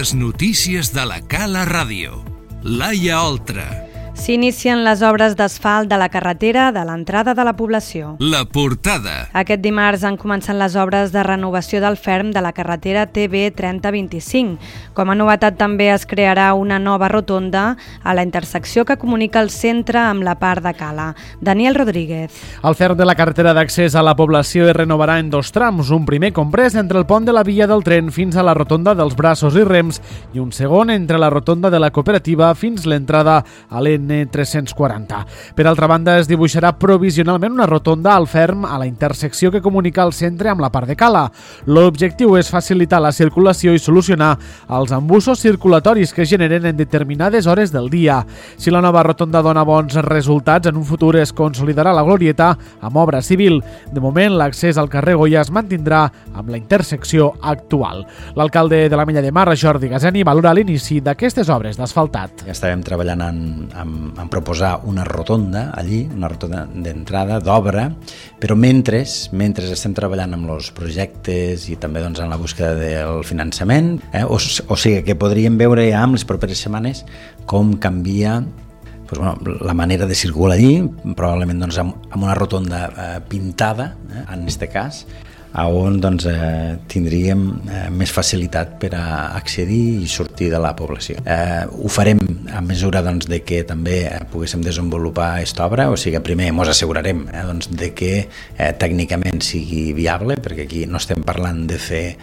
Les notícies de la Cala Ràdio. Laia Oltra. S'inicien les obres d'asfalt de la carretera de l'entrada de la població. La portada. Aquest dimarts han començat les obres de renovació del ferm de la carretera TB 3025. Com a novetat també es crearà una nova rotonda a la intersecció que comunica el centre amb la part de Cala. Daniel Rodríguez. El ferm de la carretera d'accés a la població es renovarà en dos trams, un primer comprès entre el pont de la via del tren fins a la rotonda dels Braços i Rems i un segon entre la rotonda de la cooperativa fins l'entrada a l'N340. Per altra banda, es dibuixarà provisionalment una rotonda al ferm a la intersecció que comunica el centre amb la part de Cala. L'objectiu és facilitar la circulació i solucionar els embussos circulatoris que es generen en determinades hores del dia. Si la nova rotonda dona bons resultats, en un futur es consolidarà la glorieta amb obra civil. De moment, l'accés al carrer Goya es mantindrà amb la intersecció actual. L'alcalde de l'Ametlla de Mar, Jordi Gazeni, valora l'inici d'aquestes obres d'asfaltat. Ja estàvem treballant en proposar una rotonda allí, una rotonda d'entrada, d'obra, però mentre estem treballant amb els projectes i també en la búsqueda del finançament, o sigui que podríem veure ja en les properes setmanes com canvia la manera de circular allí, probablement amb una rotonda pintada, en aquest cas, on tindríem més facilitat per a accedir i sortir de la població. Ho farem a mesura de que també poguéssim desenvolupar aquesta obra, o sigui que primer ens assegurarem de que tècnicament sigui viable, perquè aquí no estem parlant de fer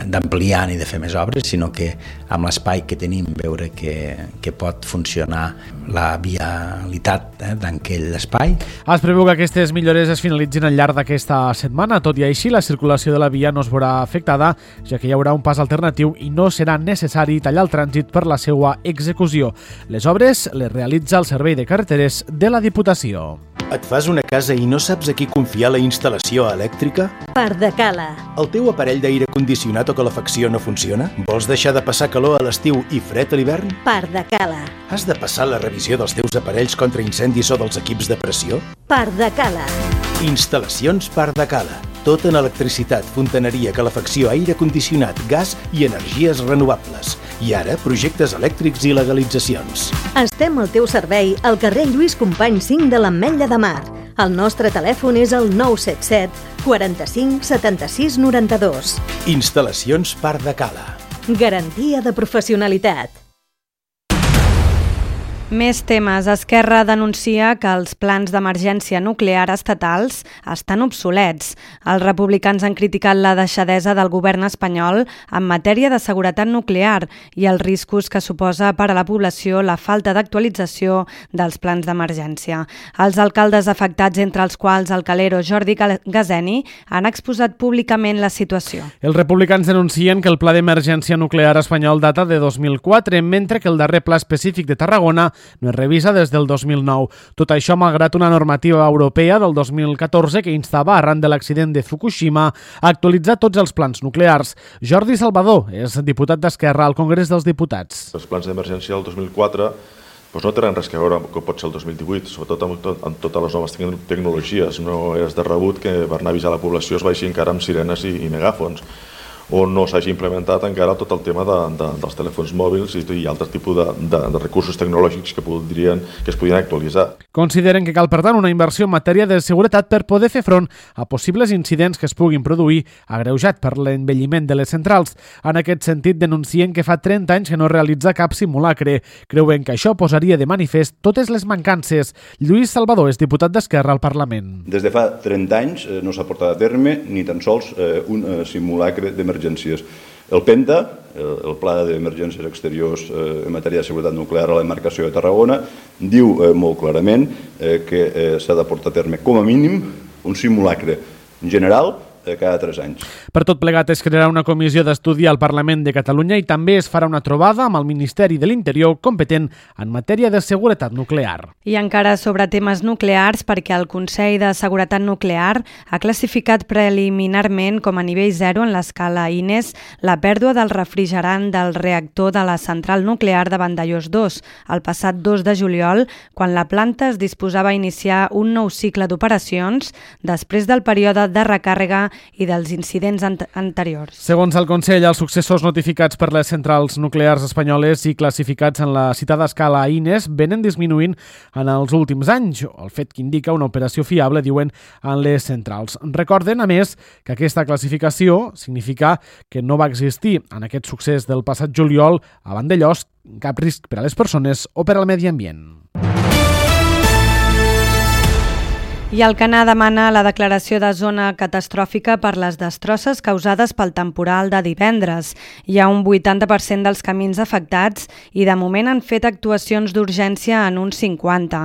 d'ampliar ni de fer més obres, sinó que amb l'espai que tenim veure que pot funcionar la vialitat d'aquell espai. Es preveu que aquestes millores es finalitzin al llarg d'aquesta setmana. Tot i així, la circulació de la via no es veurà afectada, ja que hi haurà un pas alternatiu i no serà necessari tallar el trànsit per la seva execució. Les obres les realitza el Servei de Carreteres de la Diputació. Et fas una casa i no saps a qui confiar la instal·lació elèctrica? Part de Cala. El teu aparell d'aire condicionat o calefacció no funciona? Vols deixar de passar calor a l'estiu i fred a l'hivern? Part de Cala. Has de passar la revisió dels teus aparells contra incendis o dels equips de pressió? Part de Cala. Instal·lacions Part de Cala. Tot en electricitat, fontaneria, calefacció, aire condicionat, gas i energies renovables. I ara, projectes elèctrics i legalitzacions. Estem al teu servei al carrer Lluís Companys 5 de l'Ametlla de Mar. El nostre telèfon és el 977 45 76 92. Instal·lacions Part de Cala. Garantia de professionalitat. Més temes. Esquerra denuncia que els plans d'emergència nuclear estatals estan obsolets. Els republicans han criticat la deixadesa del govern espanyol en matèria de seguretat nuclear i els riscos que suposa per a la població la falta d'actualització dels plans d'emergència. Els alcaldes afectats, entre els quals el calero Jordi Gazeni, han exposat públicament la situació. Els republicans denuncien que el pla d'emergència nuclear espanyol data de 2004, mentre que el darrer pla específic de Tarragona no es revisa des del 2009. Tot això malgrat una normativa europea del 2014 que instava, arran de l'accident de Fukushima, a actualitzar tots els plans nuclears. Jordi Salvador és diputat d'Esquerra al Congrés dels Diputats. Els plans d'emergència del 2004 no tenen res a veure amb com pot ser el 2018, sobretot amb totes les noves tecnologies. No és de rebut que per anar a avisar la població es vagi encara amb sirenes i megàfons, o no s'hagi implementat encara tot el tema dels telèfons mòbils i altres tipus de recursos tecnològics que es podrien actualitzar. Consideren que cal, per tant, una inversió en matèria de seguretat per poder fer front a possibles incidents que es puguin produir, agreujat per l'envelliment de les centrals. En aquest sentit, denuncien que fa 30 anys que no realitza cap simulacre. Creuen que això posaria de manifest totes les mancances. Lluís Salvador és diputat d'Esquerra al Parlament. Des de fa 30 anys no s'ha portat a terme ni tan sols un simulacre d'emergències. El PENTA, el Pla d'Emergències Exteriors en matèria de seguretat nuclear a la demarcació de Tarragona, diu molt clarament que s'ha de portar a terme com a mínim un simulacre general cada 3 anys. Per tot plegat es crearà una comissió d'estudi al Parlament de Catalunya i també es farà una trobada amb el Ministeri de l'Interior competent en matèria de seguretat nuclear. I encara sobre temes nuclears, perquè el Consell de Seguretat Nuclear ha classificat preliminarment com a nivell 0 en l'escala INES la pèrdua del refrigerant del reactor de la central nuclear de Vandellòs 2 el passat 2 de juliol, quan la planta es disposava a iniciar un nou cicle d'operacions després del període de recàrrega i dels incidents anteriors. Segons el Consell, els successos notificats per les centrals nuclears espanyoles i classificats en la citada escala INES venen disminuint en els últims anys, el fet que indica una operació fiable, diuen, en les centrals. Recorden, a més, que aquesta classificació significa que no va existir en aquest succés del passat juliol a Vandellòs cap risc per a les persones o per al medi ambient. I Alcanar demana la declaració de zona catastròfica per les destrosses causades pel temporal de divendres. Hi ha un 80% dels camins afectats i de moment han fet actuacions d'urgència en uns 50.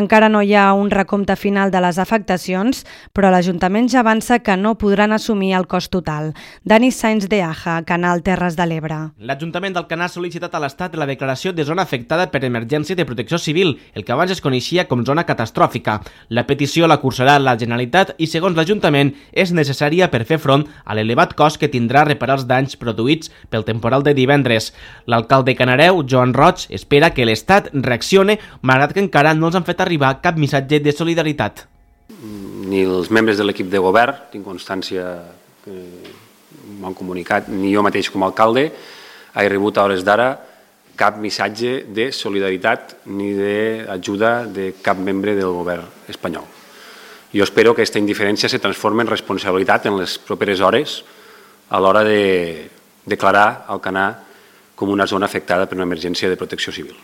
Encara no hi ha un recompte final de les afectacions, però l'Ajuntament ja avança que no podran assumir el cost total. Dani Sainz de Aja, Canal Terres de l'Ebre. L'Ajuntament d'Alcanar ha sol·licitat a l'Estat la declaració de zona afectada per emergència de protecció civil, el que abans es coneixia com zona catastròfica. La petició la cursarà la Generalitat i, segons l'Ajuntament, és necessària per fer front a l'elevat cost que tindrà reparar els danys produïts pel temporal de divendres. L'alcalde Canareu, Joan Roig, espera que l'Estat reaccione, malgrat que encara no els han fet arribar cap missatge de solidaritat. Ni els membres de l'equip de govern, tinc constància que m'han comunicat, ni jo mateix com a alcalde, he rebut a hores d'ara cap missatge de solidaritat ni d'ajuda de cap membre del govern espanyol. Jo espero que aquesta indiferència se transformi en responsabilitat en les properes hores a l'hora de declarar Alcanar com una zona afectada per una emergència de protecció civil.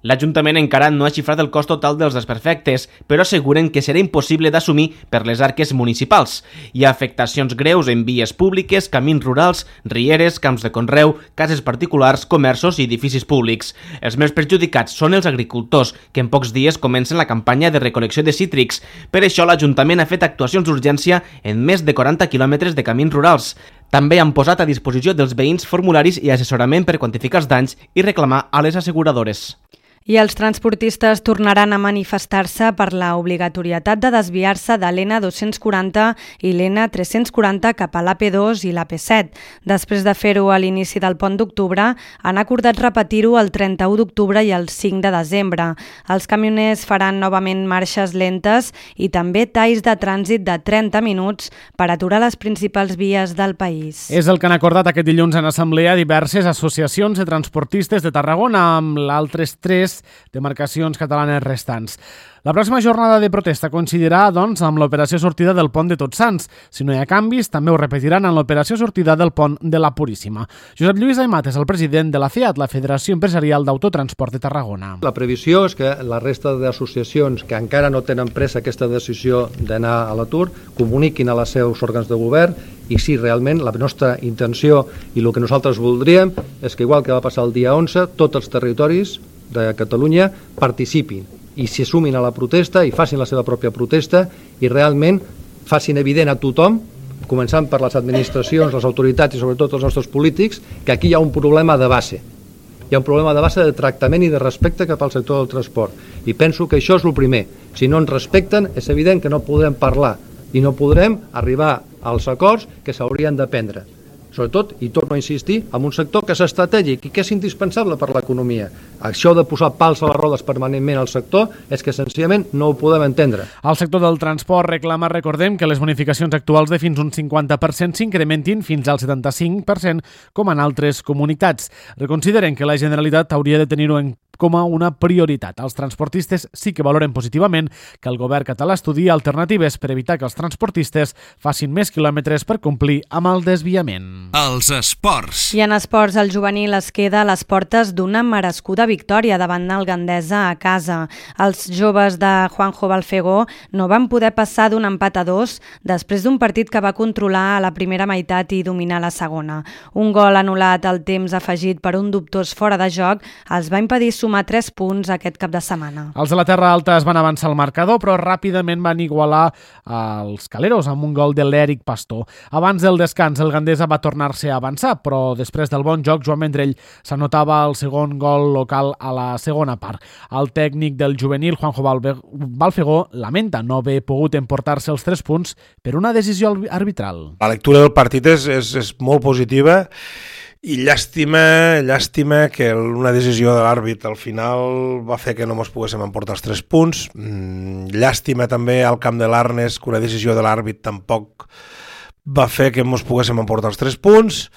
L'Ajuntament encara no ha xifrat el cost total dels desperfectes, però asseguren que serà impossible d'assumir per les arques municipals. Hi ha afectacions greus en vies públiques, camins rurals, rieres, camps de conreu, cases particulars, comerços i edificis públics. Els més perjudicats són els agricultors, que en pocs dies comencen la campanya de recol·lecció de cítrics. Per això l'Ajuntament ha fet actuacions d'urgència en més de 40 quilòmetres de camins rurals. També han posat a disposició dels veïns formularis i assessorament per quantificar els danys i reclamar a les asseguradores. I els transportistes tornaran a manifestar-se per la obligatorietat de desviar-se de l'N240 i l'N340 cap a l'AP2 i l'AP7. Després de fer-ho a l'inici del pont d'octubre, han acordat repetir-ho el 31 d'octubre i el 5 de desembre. Els camioners faran novament marxes lentes i també talls de trànsit de 30 minuts per aturar les principals vies del país. És el que han acordat aquest dilluns en assemblea diverses associacions de transportistes de Tarragona amb l'altres 3 demarcacions catalanes restants. La pròxima jornada de protesta coincidirà, doncs, amb l'operació sortida del pont de Tots Sants. Si no hi ha canvis, també ho repetiran en l'operació sortida del pont de la Puríssima. Josep Lluís Aimat és el president de la FEAT, la Federació Empresarial d'Autotransport de Tarragona. La previsió és que la resta d'associacions que encara no tenen presa aquesta decisió d'anar a l'atur comuniquin a les seus òrgans de govern i si realment la nostra intenció i el que nosaltres voldríem és que, igual que va passar el dia 11, tots els territoris de Catalunya participin i s'hi sumin a la protesta i facin la seva pròpia protesta i realment facin evident a tothom, començant per les administracions, les autoritats i sobretot els nostres polítics, que aquí hi ha un problema de base. Hi ha un problema de base de tractament i de respecte cap al sector del transport. I penso que això és el primer. Si no ens respecten, és evident que no podrem parlar i no podrem arribar als acords que s'haurien de prendre. Sobretot, i torno a insistir, en un sector que és estratègic i que és indispensable per l'economia. Això de posar pals a les rodes permanentment al sector és que senzillament no ho podem entendre. El sector del transport reclama, recordem, que les bonificacions actuals de fins un 50% s'incrementin fins al 75% com en altres comunitats. Reconsideren que la Generalitat hauria de tenir-ho en com a una prioritat. Els transportistes sí que valoren positivament que el govern català estudia alternatives per evitar que els transportistes facin més quilòmetres per complir amb el desviament. Els esports. I en esports, el juvenil es queda a les portes d'una merescuda victòria davant el Gandesa a casa. Els joves de Juanjo Balfegó no van poder passar d'un empat a 2 després d'un partit que va controlar a la primera meitat i dominar la segona. Un gol anul·lat al temps afegit per un dubtós fora de joc els va impedir sumar 3 punts aquest cap de setmana. Els de la Terra Alta es van avançar al marcador, però ràpidament van igualar els caleros amb un gol de l'Eric Pastor. Abans del descans, el Gandesa va tornar-se a avançar, però després del bon joc, Joan Vendrell s'anotava el segon gol local a la segona part. El tècnic del juvenil, Juanjo Balfegó, lamenta no haver pogut emportar-se els 3 punts per una decisió arbitral. La lectura del partit és molt positiva i llàstima que una decisió de l'àrbit al final va fer que no ens poguéssim emportar els 3 punts. Llàstima també al camp de l'Arnes que una decisió de l'àrbit tampoc va fer que ens poguéssim emportar els 3 punts,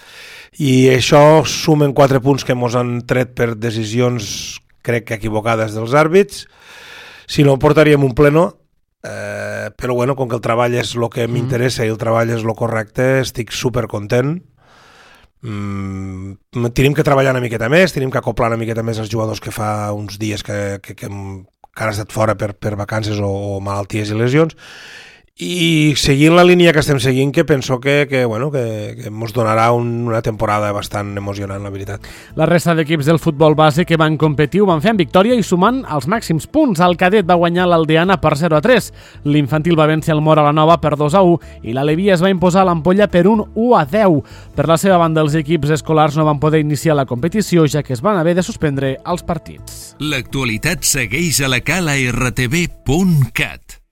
i això sumen 4 punts que ens han tret per decisions, crec que equivocades, dels àrbits. Si no, portaríem un pleno, però bueno, com que el treball és el que m'interessa i el treball és el correcte, estic supercontent. Tenim que treballar una miqueta més, tenim que acoplar una miqueta més els jugadors que fa uns dies que han estat fora per vacances o malalties i lesions, i seguint la línia que estem seguint, que penso que ens donarà una temporada bastant emocionant, la veritat. La resta d'equips del futbol base que van competir ho van fer amb victòria i sumant els màxims punts. El cadet va guanyar l'Aldeana per 0-3, l'infantil va vèncer el Móra la Nova per 2-1 i l'Aleví es va imposar a l'Ampolla per un 1-10. Per la seva banda, els equips escolars no van poder iniciar la competició, ja que es van haver de suspendre els partits. L'actualitat segueix a la calartv.cat.